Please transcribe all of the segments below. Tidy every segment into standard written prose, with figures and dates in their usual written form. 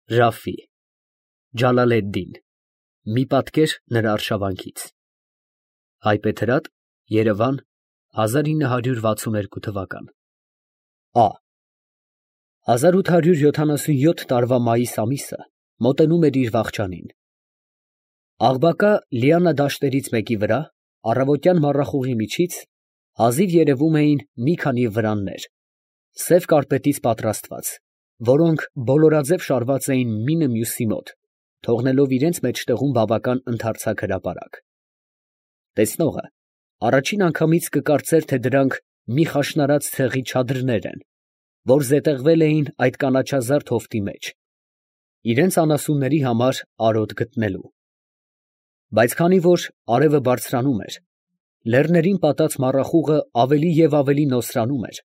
Ռաֆի Ջալալեդդին մի պատկեր նրա արշավանքից Հայբեթրատ Երևան 1962 թվական Ա 1877 տարվա մայիս ամիսը մոտենում էր իր վախճանին Աղբակա Լիանա դաշտերից մեկի վրա առավոտյան մառախուղի միջից հազիվ երևում էին մի քանի վրաններ սև կարկպետից պատրաստված որոնք բոլորաձև շարված էին մինը մյուսի մոտ, թողնելով իրենց մեջտեղում բավական ընդարձակ հրապարակ։ Տեսնողը առաջին անգամից կկարծեր, թե դրանք մի խաշնարած ցեղի չադրներ են, որ զետեղվել էին այդ կանաչազարդ հովտի մեջ, իրենց անասունների համար արոտ գտնելու։ Բայց քանի որ արևը բարձրանում էր, լեռներին պատած մառախուղը ավելի և ավելի նոսրանում էր,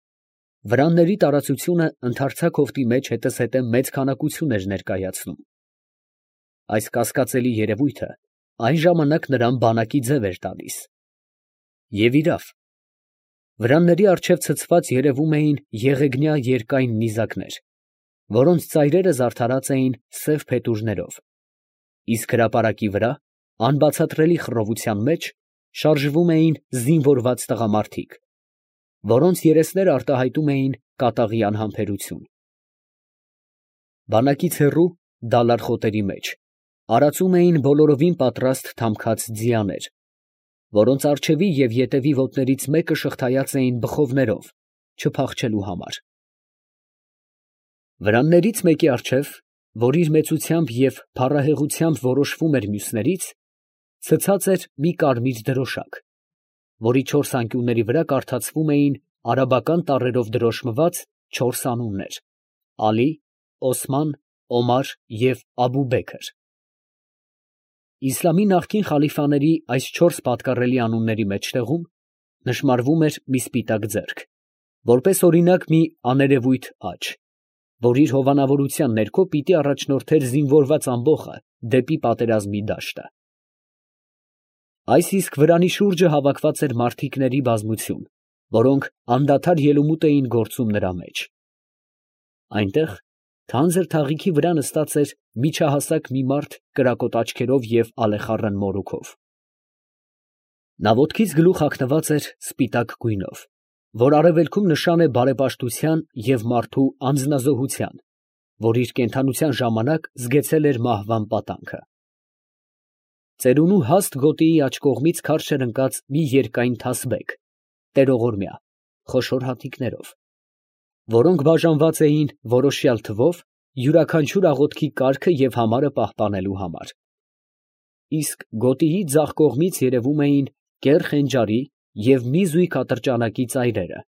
վրանների տարածությունը ընդարձակ հովտի մեջ հետզհետե մեծ քանակություն էր ներկայացնում։ Այս կասկածելի երևույթը այն ժամանակ նրան բանակի ձև էր տալիս։ Եվ իրավ, վրանների առջև ցցված երևում էին եղեգնյա երկայն նիզակներ, որոնց ծայրերը զարդարած էին սև փետուրներով, իսկ հրապարակի վրա, անբացատրելի խռովության մեջ, շարժվում էին զինվորված տղամարդիկ, որոնց երեսները արտահայտում էին կատաղի անհամբերություն։ Բանակից հեռու, դալար խոտերի մեջ, արածում էին բոլորովին պատրաստ թամքած ձիաներ, որոնց առջևի և ետևի ոտներից մեկը շղթայած էին բխովներով, չփախչելու համար։ Վրաններից մեկի առջև, որ իր մեծությամբ և փառահեղաթյամբ որոշվում էր մյուսներից, ցցած էր մի կարմիր դրոշակ, որի 4 անկյունների վրա կարդացվում էին արաբական տառերով դրոշմված 4 անուններ՝ Ալի, Օսման, Օմար և Աբուբեքր։ Իսլամի նախկին խալիֆաների այս 4 պատկառելի անունների մեջտեղում նշմարվում էր մի սպիտակ ձեռք, որպես օրինակ մի աներևույթ աջ, որ իր հովանավորության ներքո պիտի առաջնորդեր զինվորված ամբոխը դեպի պատերազմի դաշտը։ Այս իսկ վրանի շուրջը հավաքված էր մարդիկների բազմություն, որոնք անդադար ելումուտ էին գործում նրա մեջ։ Այնտեղ թանձր թաղիքի վրա նստած էր միջահասակ մի մարդ կրակոտ աչքերով և ալեխառն մորուքով։ Նա ոտքից գլուխ հագնված էր սպիտակ գույնով, որ արևելքում նշան է բարեպաշտության և մարդու անձնազոհության, որ իր կենդանության ժամանակ զգեցել էր մահվան պատանքը։ Ծերունու հաստ գոտիի աջ կողմից քարշ էր ընկած մի երկայն թասբեկ, տերողորմյա, խոշոր հատիկներով, որոնք բաժանված էին որոշյալ թվով յուրաքանչյուր աղոթքի կարգը և համարը պահպանելու համար։ Իսկ գոտիի ձախ կողմից երևում էին կեռ խենջարի և մի զույգ ատրճանակի ծայրերը,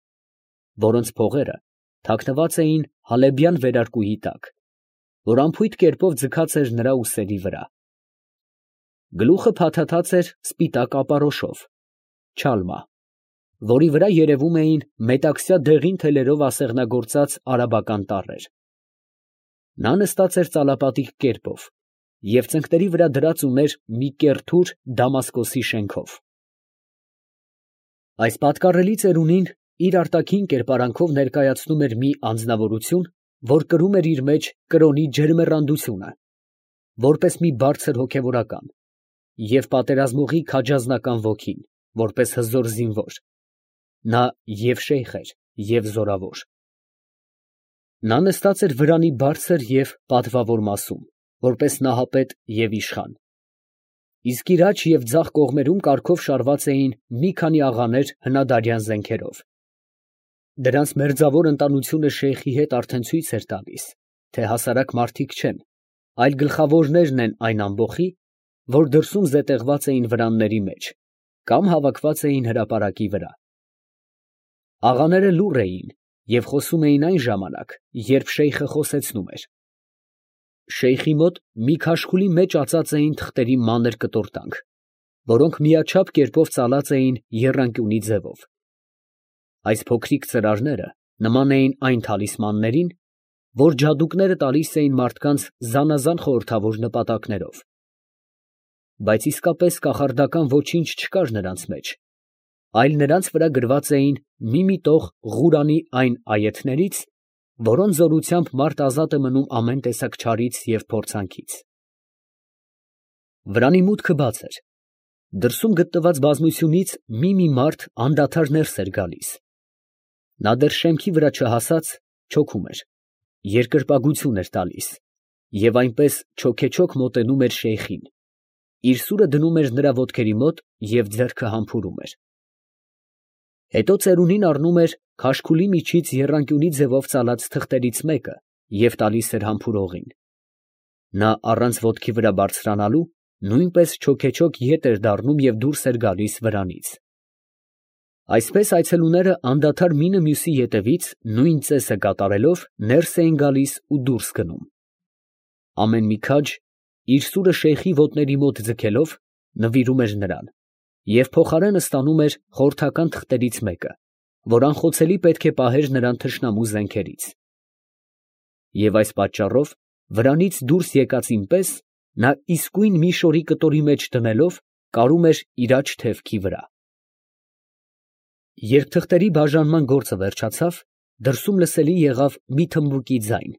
որոնց փողերը թաքնված էին հալեբյան վերարկուի տակ, որ անփույթ կերպով ձգած էր նրա ուսերի վրա։ Գլուխը փաթաթած էր սպիտակ ապարոշով (չալմա), որի վրա երևում էին մետաքսյա դեղին թելերով ասեղնագործած արաբական տառեր։ Նա նստած էր ծալապատիկ կերպով և ծնկների վրա դրած ուներ մի կեռ թուր Դամասկոսի շենքով։ Այս պատկառելի ծերունին իր արտաքին կերպարանքով ներկայացնում էր մի անձնավորություն, որ կրում էր իր մեջ կրոնի ջերմեռանդությունը, որպես մի բարձր հոգևորական, և պատերազմողի քաջազնական ոգին, որպես հզոր զինվոր, նա և շեյխ էր, և զորավոր։ Նա նստած էր վրանի բարձր և պատվավոր մասում, որպես նահապետ և իշխան, իսկ իր աջ և ձախ կողմերում կարգով շարված էին մի քանի աղաներ հնադարյան զենքերով։ Դրանց մերձավոր ընտանությունը շեյխի հետ արդեն ցույց էր տալիս, թե հասարակ մարդիկ չեն, այլ գլխավորներն են այն ամբոխի, որ դրսում զետեղված էին վրանների մեջ, կամ հավաքված էին հրապարակի վրա։ Աղաները լուռ էին և խոսում էին այն ժամանակ, երբ շեյխը խոսեցնում էր։ Շեյխի մոտ մի քաշքուլի մեջ ածած էին թղթերի մանր կտորտանք, որոնք միաչափ կերպով ծալած էին եռանկյունի ձևով։ Այս փոքրիկ ծրարները նման էին այն թալիսմաններին, որ ջադուկները տալիս էին մարդկանց զանազան խորհրդավոր նպատակներով։ Բայց իսկապես կախարդական ոչինչ չկար նրանց մեջ, այլ նրանց վրա գրված էին մի տող Ղուրանի այն այեթներից, որոնց զորությամբ մարդ ազատ է մնում ամեն տեսակ չարից և փորձանքից։ Վրանի մուտքը բաց էր։ Դրսում գտնված բազմությունից մի մարդ անդադար ներս էր գալիս։ Նա դեռ շեմքի վրա չհասած չոքում էր, երկրպագություն էր տալիս և այնպես չոքեչոք մոտենում էր շեյխին, իր սուրը դնում էր նրա ոտքերի մոտ և ձեռքը համբուրում էր։ Հետո ծերունին առնում էր քաշքուլի միջից եռանկյունի ձևով ծալած թղթերից մեկը և տալիս էր համբուրողին։ Նա առանց ոտքի վրա բարձրանալու նույնպես չոքեչոք ետ էր դառնում և դուրս էր գալիս վրանից։ Այսպես այցելուները անդադար մինը մյուսի ետևից նույն ծեսը կատարելով ներս էին գալիս ու դուրս գնում։ Ամեն մի քաջ, իր սուրը շեյխի ոտների մոտ ձգելով, նվիրում էր նրան և փոխարենը ստանում էր խորհրդական թղթերից մեկը, որ անխոցելի պետք է պահեր նրան թշնամու զենքերից։ Եվ այս պատճառով վրանից դուրս եկածին պես նա իսկույն մի շորի կտորի մեջ դնելով կարում էր իր աջ թևքի վրա։ Երբ թղթերի բաժանման գործը վերջացավ, դրսում լսելի եղավ մի թմբուկի ձայն,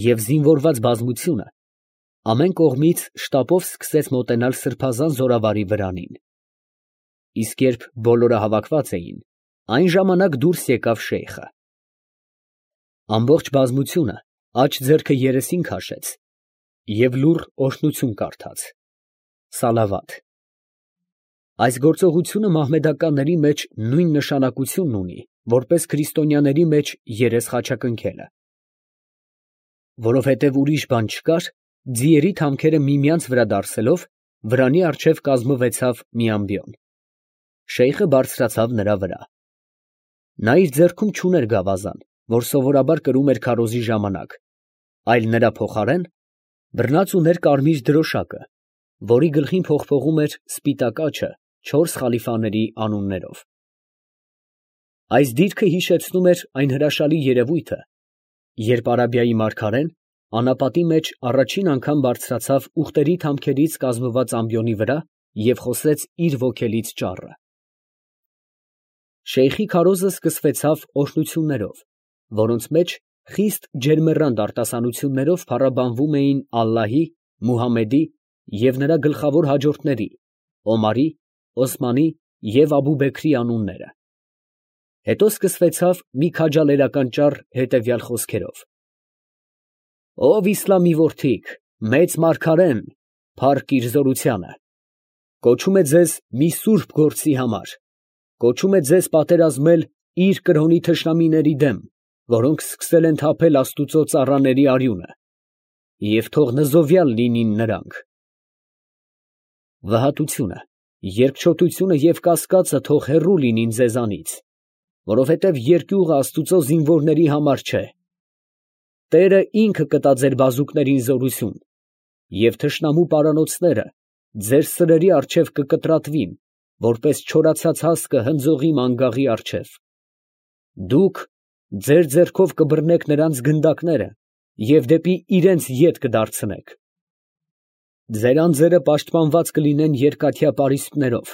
և զինվորված բազմությունը ամեն կողմից շտապով սկսեց մոտենալ սրբազան զորավարի վրանին։ Իսկ երբ բոլորը հավաքված էին, այն ժամանակ դուրս եկավ շեյխը։ Ամբողջ բազմությունը աջ ձեռքը երեսին քաշեց և լուռ օրհնություն կարդաց (սալավաթ)։ Այս գործողությունը մահմեդականների մեջ նույն նշանակությունն ունի, որպես քրիստոնյաների մեջ երես խաչակնքելը։ Որովհետև ուրիշ բան չկար, ձիերի թամքերը միմյանց վրա դարսելով, վրանի առջև կազմվեցավ մի ամբիոն։ Շեյխը բարձրացավ նրա վրա։ Նա իր ձեռքում չուներ գավազան, որ սովորաբար կրում էր քարոզի ժամանակ, այլ նրա փոխարեն բռնած ուներ կարմիր դրոշակը, որի գլխին փողփողում էր սպիտակ աջը չորս խալիֆաների անուններով։ Այս դիրքը հիշեցնում էր այն հրաշալի երևույթը, երբ Արաբիայի մարգարեն անապատի մեջ առաջին անգամ բարձրացավ ուղտերի թամքերից կազմված ամբիոնի վրա և խոսեց իր ոգելից ճառը։ Շեյխի քարոզը սկսվեցավ օրհնություններով, որոնց մեջ խիստ ջերմեռանդ արտասանություններով փառաբանվում էին ալլահի, Մուհամմեդի և նրա գլխավոր հաջորդների՝ Օմարի, Օսմանի և Աբուբեքրի անունները։ Հետո սկսվեցավ մի քաջալերական ճառ հետևյալ խոսքերով. «Ով իսլամի որդիք, մեծ մարգարեն, փառք իր զորությանը, կոչում է ձեզ մի սուրբ գործի համար, կոչում է ձեզ պատերազմել իր կրոնի թշնամիների դեմ, որոնք սկսել են թափել աստուծո ծառաների արյունը, և թող նզովյալ լինին նրանք։ Վհատությունը, երկչոտությունը և կասկածը թող հեռու լինին ձեզանից, որովհետև երկյուղը աստուծո զինվորների համար չէ։ Տերը ինքը կտա ձեր բազուկներին զորություն, և թշնամու պարանոցները ձեր սրերի առջև կկտրատվին, որպես չորացած հասկը հնձողի մանգաղի առջև։ Դուք ձեր ձեռքով կբռնեք նրանց գնդակները և դեպի իրենց ետ կդարձնեք։ Ձեր անձերը պաշտպանված կլինեն երկաթյա պարիսպներով,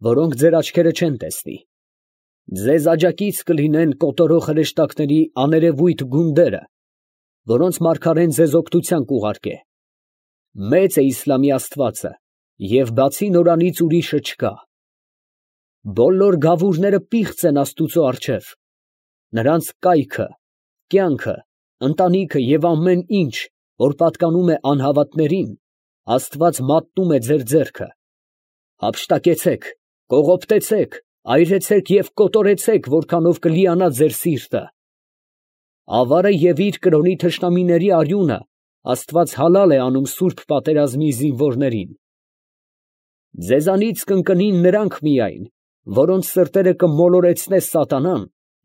որոնք ձեր աչքերը չեն տեսնի։ Ձեզ աջակից կլինեն կոտորող հրեշտակների աներևույթ գունդերը, որոնց մարգարեն ձեզ օգնության կուղարկե։ Մեծ է իսլամի Աստվածը, և բացի նորանից ուրիշը չկա։ Բոլոր գավուրները պիղծ են աստուծո առջև, նրանց կայքը, կյանքը, ընտանիքը և ամեն ինչ, որ պատկանում է անհավատներին, Աստված մատնում է ձեր ձեռքը։ Հափշտակեցեք, կողոպտեցեք, այրեցեք և կոտորեցեք, որքանով կլիանա ձեր սիրտը։ Ավարը և իր կրոնի թշնամիների արյունը Աստված հալալ է անում սուրբ պատերազմի զինվորներին։ Ձեզանից կընկնին նրանք միայն, որոնց սրտերը կմոլորեցնե սատանան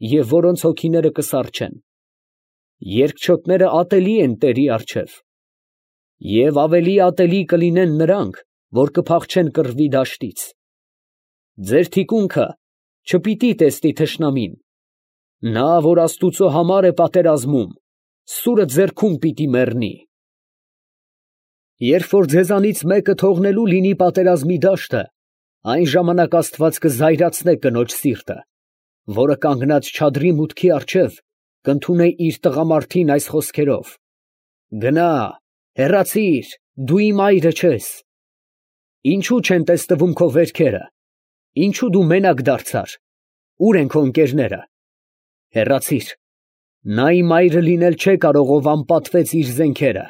և որոնց հոգիները կսառչեն։ Երկչոտները ատելի են Տերի առջև։ Եվ ավելի ատելի կլինեն նրանք, որ կփախչեն կռվի դաշտից։ Ձեր թիկունքը չպիտի տեսնի թշնամին։ Նա, որ Աստուծո համար է պատերազմում, սուրը ձեռքում պիտի մեռնի։ Երբ որ ձեզանից մեկը թողնելու լինի պատերազմի դաշտը, այն ժամանակ Աստված կզայրացնե կնոջ սիրտը, որը կանգնած չադրի մուտքի առջև, կընդունե իր տղամարդին այս խոսքերով. «Գնա, հեռացիր, դու իմ այրը չես»։ Ինչու չեն տեսնվում քո վերքերը, ինչու դու մենակ դարձար, ուր են քո ընկերները, հեռացիր, նա իմ այրը լինել չէ կարող, ով անպատվեց իր զենքերը։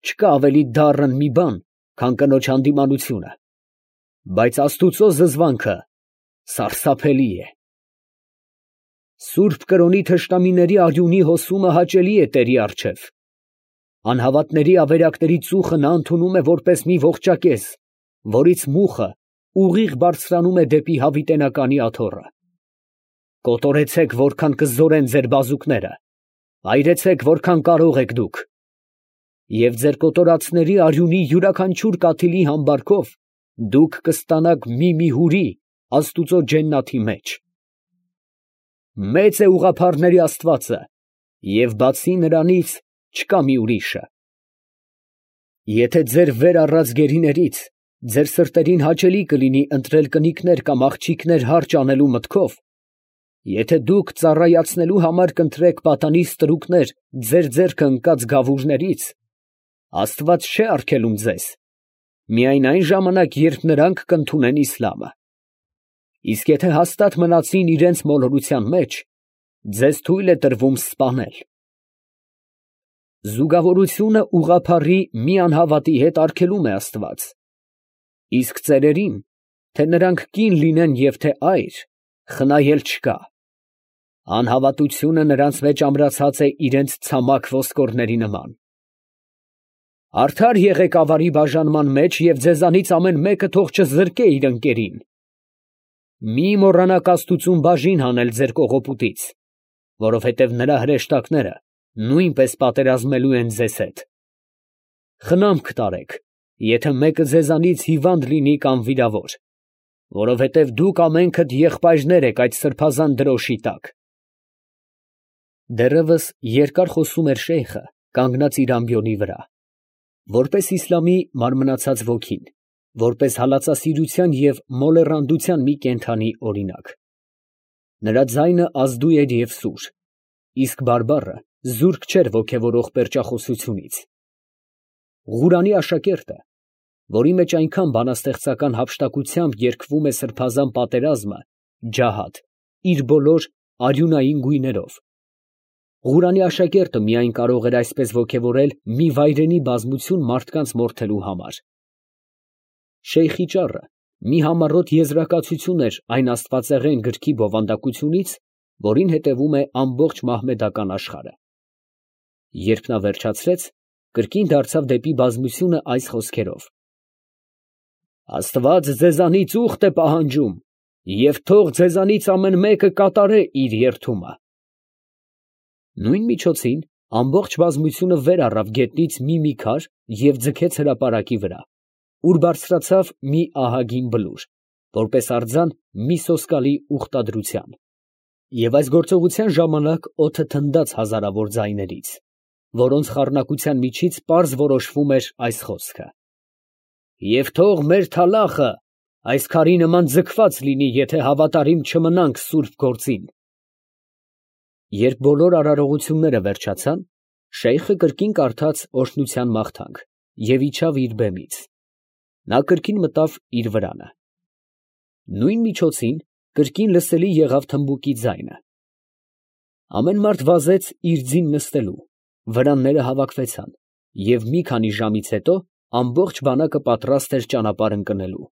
Չկա ավելի դառն մի բան, քան կնոջ հանդիմանությունը, բայց Աստուծո զզվանքը սարսափելի է։ Սուրբ կրոնի թշնամիների արյունի հոսումը հաճելի է Տերի առջև։ Անհավատների ավերակների ծուխը նա ընդունում է որպես մի ողջակեզ, որից մուխը ուղիղ բարձրանում է դեպի հավիտենականի աթոռը։ Կոտորեցեք, որքան կզորեն ձեր բազուկները, այրեցեք, որքան կարող եք դուք, և ձեր կոտորածների արյունի յուրաքանչյուր կաթիլի համբարքով դուք կստանաք մի հուրի Աստուծո ջեննաթի մեջ։ Մեծ է ուղղափառների Աստվածը, և բացի նրանից չկա մի ուրիշը։ Եթե ձեր վեր առած գերիներից ձեր սրտերին հաճելի կլինի ընտրել կնիկներ կամ աղջիկներ հարճ անելու մտքով, եթե դուք ծառայացնելու համար կընտրեք պատանի ստրուկներ ձեր ձեռքը ընկած գավուրներից, Աստված չէ արգելում ձեզ, միայն այն ժամանակ, երբ նրանք կընդունեն իսլամը։ Իսկ եթե հաստատ մնացին իրենց մոլորության մեջ, ձեզ թույլ է տրվում սպանել։ Զուգավորությունը ուղղափառի մի անհավատի հետ արգելում է Աստված, իսկ ծերերին, թե նրանք կին լինեն և թե այր, խնայել չկա։ Անհավատությունը նրանց մեջ ամրացած է իրենց ցամաք ոսկորների նման։ Արդար եղեք ավարի բաժանման մեջ և ձեզանից ամեն մեկը թող չզրկե իր ընկերին։ Մի մոռանաք Աստուծուն բաժին հանել ձեր կողոպուտից, որովհետև նրա հրեշտակները նույնպես պատերազմելու են ձեզ հետ։ Խնամք տարեք, եթե մեկը ձեզանից հիվանդ լինի կամ վիրավոր, որովհետև դուք ամենքդ եղբայրներ եք այդ սրբազան դրոշի տակ։ Դեռևս երկար խոսում էր շեյխը, կանգնած իր ամբիոնի վրա, որպես իսլամի մարմնացած ոգին, որպես հալածասիրության և մոլեռանդության մի կենդանի օրինակ։ Նրա ձայնը ազդու էր և սուր, իսկ բարբառը զուրկ չէր ոգևորող պերճախոսությունից։ Ղուրանի աշակերտը, որի մեջ այնքան բանաստեղծական հափշտակությամբ երգվում է սրբազան պատերազմը, ջահադ, իր բոլոր արյունային գույներով։ Ղուրանի աշակերտը միայն կարող էր այսպես ոգևորել մի վայրենի բազմություն մարդկանց մորթելու համար։ Շեյխի ճառը մի համառոտ եզրակացություն էր այն աստվածեղեն գրքի բովանդակությունից, որին հետևում է ամբողջ մահմեդական աշխարհը։ Երբ նա վերջացրեց, կրկին դարձավ դեպի բազմությունը այս խոսքերով. Աստված ձեզանից ուխտ է պահանջում, և թող ձեզանից ամեն մեկը կատարե իր երդումը։ Նույն միջոցին ամբողջ բազմությունը վեր առավ գետնից մի քար և ձգեց հրապարակի վրա, ուր բարձրացավ մի ահագին բլուր, որպես արձան մի սոսկալի ուխտադրության։ Եվ այս գործողության ժամանակ օդը թնդաց հազարավոր ձայներից, որոնց խառնակության միջից պարզ որոշվում էր այս խոսքը. «Եվ թող մեր թալախը այս քարի նման ձգված լինի, եթե հավատարիմ չմնանք սուրբ գործին»։ Երբ բոլոր արարողությունները վերջացան, շեյխը կրկին կարդաց օրհնության մաղթանք և իջավ իր բեմից։ Նա կրկին մտավ իր վրանը։ Նույն միջոցին կրկին լսելի եղավ թմբուկի ձայնը։ Ամեն մարդ վազեց իր ձին նստելու, վրանները հավաքվեցան, և մի քանի ժամից հետո ամբողջ բանակը պատրաստ էր ճանապարհ ընկնելու։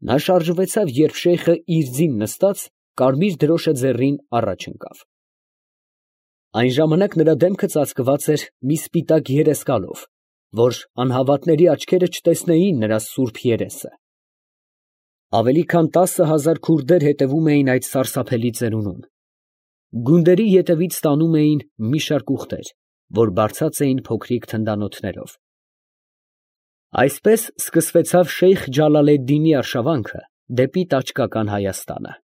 Նա շարժվեցավ, երբ շեյխը իր ձին նստած, կարմիր դրոշը ձեռին առաջ ընկավ։ Այն ժամանակ նրա դեմքը ծածկված էր մի սպիտակ երեսկալով, որ անհավատների աչքերը չտեսնեին նրա սուրբ երեսը։ Ավելի քան 10,000 քուրդեր հետևում էին այդ սարսափելի ծերունուն։ Գունդերի ետևից տանում էին մի շարք ուղտեր, որ բարձած էին փոքրիկ թնդանոթներով։ Այսպես սկսվեցավ Շեյխ Ջալալեդդինի արշավանքը դեպի տաճկական Հայաստանը։